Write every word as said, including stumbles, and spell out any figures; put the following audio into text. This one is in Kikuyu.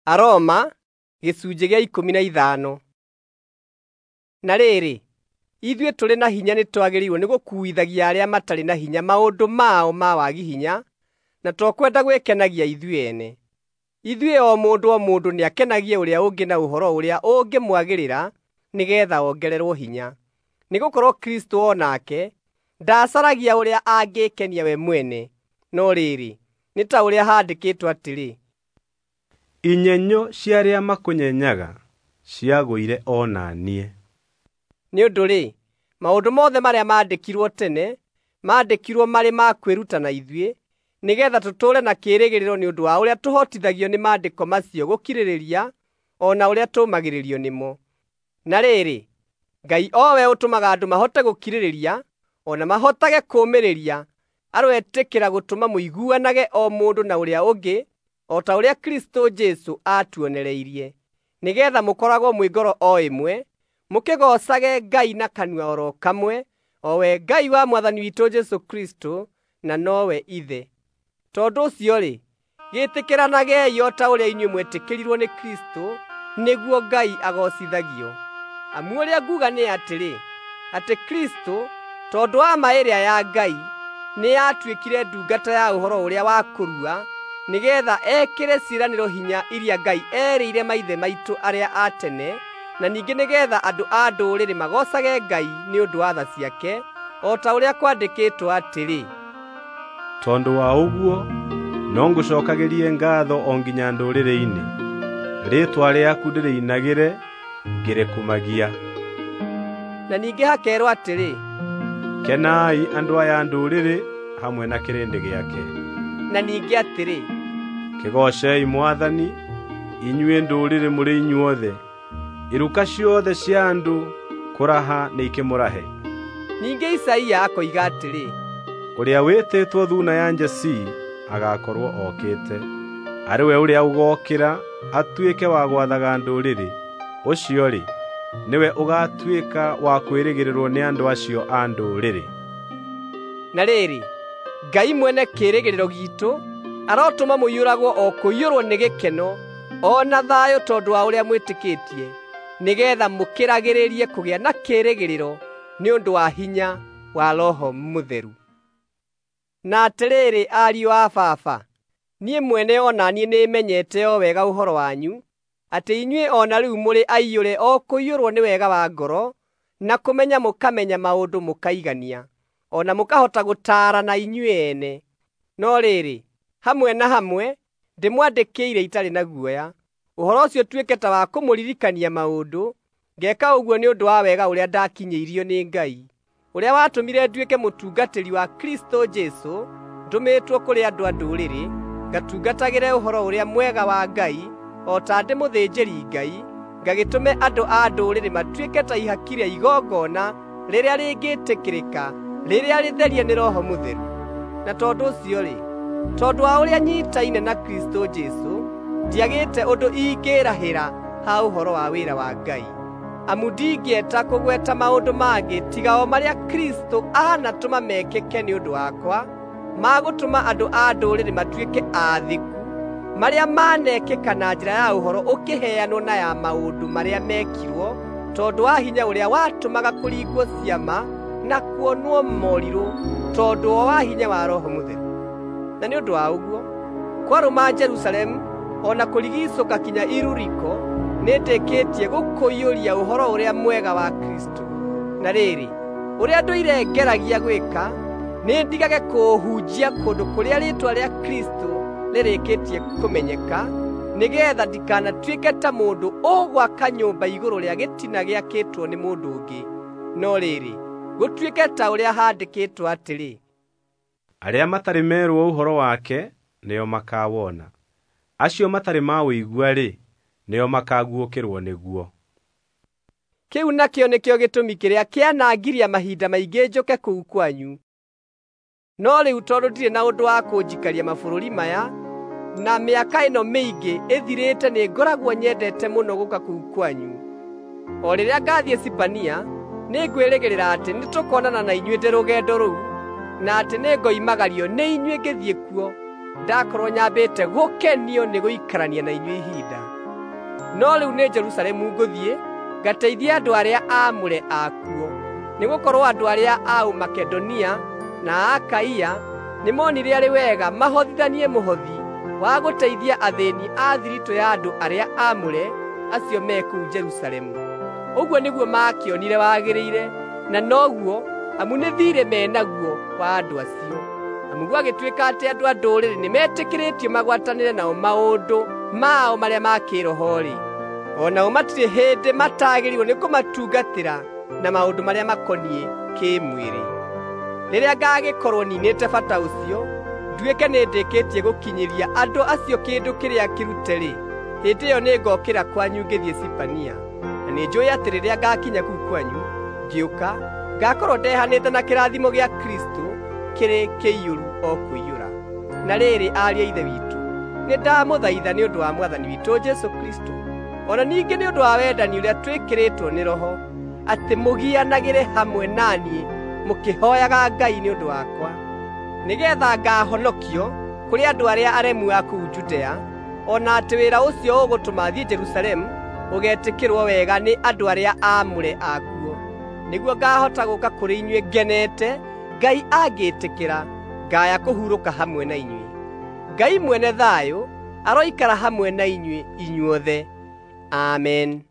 Aroma gĩcunjĩ gĩa ikũmi na ithano. Na rĩrĩ, ithuĩ tũrĩ na hinya nĩtwagĩrĩirwo nĩ gũkuuithagia arĩa matarĩ na hinya maũndũ mao ma wagi hinya, na to kwenda gwĩkenagia ithuĩ ene. Ithuĩ o mũndũ o mũndũ nĩakenagie ũrĩa ũngĩ na ũhoro ũrĩa ũngĩmwagĩrĩra nĩgeetha ongererwo hinya. Nĩgũkorwo Kristũ o nake ndaacaragia ũrĩa angĩĩkenia we mwene, no rĩrĩ, nĩ ta ũrĩa haandĩkĩtwo atĩrĩ, Inyenyo cia arĩa makũnyenyaga ciagũire o na niĩ. Nĩ ũndũ-rĩ, maũndũ mothe marĩa maandĩkirwo tene, maandĩkirwo marĩ ma kwĩruta na ithuĩ, nĩgeetha tũtũũre na kĩĩrĩgĩrĩro nĩ ũndũ wa ũrĩa tũhotithagio nĩ maandĩko macio gũkirĩrĩria o na ũrĩa tũũmagĩrĩrio nĩmo. Na rĩrĩ, Ngai o we ũtũmaga andũ mahote gũkirĩrĩria o na mahotage kũũmĩrĩria, aroetĩkĩra gũtũma mũiguanage o mũndũ na ũrĩa ũngĩ o ta ũrĩa Kristũ Jesũ aatuonereirie, nĩgeetha mũkoragwo mwĩ ngoro o ĩmwe, mũkĩgoocage Ngai na kanua oro kamwe, o we Ngai wa Mwathani witũ Jesũ Kristũ, na nowe Ithe. Tondũ ũcio-rĩ, gĩtĩkĩranagei o ta ũrĩa inyuĩ mwetĩkĩrirwo nĩ Kristũ, nĩguo Ngai agoocithagio. Amu ũrĩa nguuga nĩ atĩrĩ, atĩ Kristũ, tondũ wa ma ĩrĩa ya Ngai, nĩatuĩkire ndungata ya ũhoro ũrĩa wa kũrua, nĩgeetha ekĩre ciĩranĩro hinya iria Ngai eerĩire maithe maitũ arĩa a tene, na ningĩ nĩgeetha andũ a ndũrĩrĩ magoocage Ngai nĩ ũndũ wa tha ciake, o ta ũrĩa kwandĩkĩtwo atĩrĩ, Tondũ wa ũguo no ngũcookagĩrie ngaatho o nginya ndũrĩrĩ-inĩ, rĩĩtwa rĩaku ndĩrĩinagĩre ngĩrĩkumagia. Na ningĩ hakeerwo atĩrĩ, Kenai andũ aya a ndũrĩrĩ hamwe na kĩrĩndĩ gĩake. Na ningĩ atĩrĩ, Kĩgoocei Mwathani, inyuĩ ndũrĩrĩ mũrĩ inyuothe, iruka ciothe cia andũ kũraha nĩikĩmũrahe. Ningĩ Isaia akoiga atĩrĩ, Ũrĩa wĩtĩtwo Thuuna ya Jesii agaakorwo okĩte, arĩ we ũrĩa ũgookĩra atuĩke wa gwathaga ndũrĩrĩ. Ũcio-rĩ, nĩwe ũgaatuĩka wa kwĩrĩgĩrĩrwo nĩ andũ acio a ndũrĩrĩ. Na rĩrĩ, Ngai mwene kĩĩrĩgĩrĩro giitũ arotũma mũiyũragwo o kũiyũrwo nĩ gĩkeno o na thayũ tondũ wa ũrĩa mwĩtĩkĩtie, nĩgeetha mũkĩragĩrĩrie kũgĩa na kĩĩrĩgĩrĩro nĩ ũndũ wa hinya wa Roho Mũtheru. Na atĩrĩrĩ, ariũ a Baba, niĩ mwene o na niĩ nĩmenyete o wega ũhoro wanyu, atĩ inyuĩ o na rĩu mũrĩ aiyũre o kũiyũrwo nĩ wega wa ngoro, na kũmenya mũkamenya maũndũ mũkaigania, o na mũkahota gũtaarana inyuĩ ene. No rĩrĩ, hamwe na hamwe ndĩmwandĩkĩire itarĩ na guoya, ũhoro ũcio ũtuĩke ta wa kũmũririkania maũndũ. Ngeeka ũguo nĩ ũndũ wa wega ũrĩa ndakinyĩirio nĩ Ngai, ũrĩa watũmire nduĩke mũtungatĩri wa Kristũ Jesũ, ndũmĩtwo kũrĩ andũ a ndũrĩrĩ, ngatungatagĩre ũhoro ũrĩa mwega wa Ngai, o ta ndĩ mũthĩnjĩri-Ngai, ngagĩtũme andũ a ndũrĩrĩ matuĩke ta ihaki rĩa igongona rĩrĩa rĩngĩtĩkĩrĩka, rĩrĩa rĩtherie nĩ Roho Mũtheru. Na tondũ ũcio-rĩ, tondũ wa ũrĩa nyiitaine na Kristũ Jesũ, ndiagĩte ũndũ ingĩĩrahĩra ha ũhoro wa wĩra wa Ngai. Amu ndingĩeta kũgweta maũndũ mangĩ tiga o marĩa Kristũ aanatũma mekĩke nĩ ũndũ wakwa, ma gũtũma andũ a ndũrĩrĩ matuĩke aathĩku, marĩa manekĩka na njĩra ya ũhoro ũkĩheanwo na ya maũndũ marĩa mekirwo, tondũ wa hinya ũrĩa watũmaga kũringwo ciama na kuonwo morirũ, tondũ o wa hinya wa Roho Mũtheru. Na nĩ ũndũ wa ũguo, kwarũma Jerusalemu o na kũrigiicũka kinya Iluriko, nĩndĩkĩtie gũkũiyũria ũhoro ũrĩa mwega wa Kristũ. Na rĩrĩ, ũrĩa ndũire ngeragia gwĩka, nĩndigage kũũhunjia kũndũ kũrĩa rĩĩtwa rĩa Kristũ rĩrĩkĩtie kũmenyeka, nĩgeetha ndikanatuĩke ta mũndũ ũgwaka nyũmba igũrũ rĩa gĩtina gĩakĩtwo nĩ mũndũ ũngĩ. No rĩrĩ, gũtuĩke ta ũrĩa haandĩkĩtwo atĩrĩ, Arĩa matarĩ merwo ũhoro wake nĩo makawona, acio matarĩ maũigua-rĩ, nĩo makaguũkĩrwo nĩguo. Kĩu nakĩo nĩkĩo gĩtũmi kĩrĩa kĩanangiria mahinda maingĩ njũke kũu kwanyu. No rĩu tondũ ndirĩ na ũndũ wa kũnjikaria mabũrũri maya, na mĩaka ĩno mĩingĩ ĩthirĩte nĩngoragwo nyendete mũno gũũka kũu kwanyu. O rĩrĩa ngathiĩ Sipania, nĩngwĩrĩgĩrĩra atĩ nĩtũkonana na inyuĩ ndĩ rũgendo rũu, na atĩ nĩngoimagario nĩ inyuĩ ngĩthiĩ kuo, ndakorwo nyambĩte gũkenio nĩ gũikarania na inyuĩ ihinda. No rĩu nĩ Jerusalemu ngũthiĩ ngateithie andũ arĩa aamũre akuo, nĩgũkorwo andũ arĩa a Makedonia na a Akaia nĩmonire arĩ wega mahothithanie mũhothi wa gũteithia athĩĩni a thiritũ ya andũ arĩa aamũre acio me kũu Jerusalemu. Ũguo nĩguo maakĩonire wagĩrĩire, na noguo amu nĩ thiirĩ me naguo wa andũ acio. Amu gwagĩtuĩka atĩ andũ a ndũrĩrĩ nĩmetĩkĩrĩtio magwatanĩre nao maũndũ mao marĩa ma kĩĩroho-rĩ, o nao matirĩ hĩndĩ matagĩrĩirwo nĩ kũmatungatĩra na maũndũ marĩa makoniĩ kĩĩmwĩrĩ. Rĩrĩa ngagĩkorwo ninĩte bata ũcio, nduĩke nĩndĩkĩtie gũkinyĩria andũ acio kĩndũ kĩrĩa kĩrute-rĩ, hĩndĩ ĩyo nĩngokĩra kwanyu ngĩthiĩ Sipania. Na nĩnjũũĩ atĩ rĩrĩa ngakinya kũu kwanyu ngĩũka, ngakorwo ndehanĩte na kĩrathimo gĩa Kristũ kĩrĩ kĩiyũru o kũiyũra. Na rĩrĩ, ariũ a Ithe witũ, nĩndamũthaitha nĩ ũndũ wa Mwathani witũ Jesũ Kristũ, o na ningĩ nĩ ũndũ wa wendani ũrĩa twĩkĩrĩtwo nĩ Roho, atĩ mũgianagĩre hamwe na niĩ mũkĩhooyaga Ngai nĩ ũndũ wakwa, nĩgeetha ngaahonokio kũrĩ andũ arĩa aremu a kũu Judea, o na atĩ wĩra ũcio ũgũtũma thiĩ Jerusalemu ũgetĩkĩrwo wega nĩ andũ arĩa aamũre akuo, nĩguo ngaahota gũũka kũrĩ inyuĩ ngenete, Ngai angĩĩtĩkĩra, ngaya kũhurũka hamwe na inyuĩ. Ngai mwene thayũ aroikara hamwe na inyuĩ inyuothe. Amen.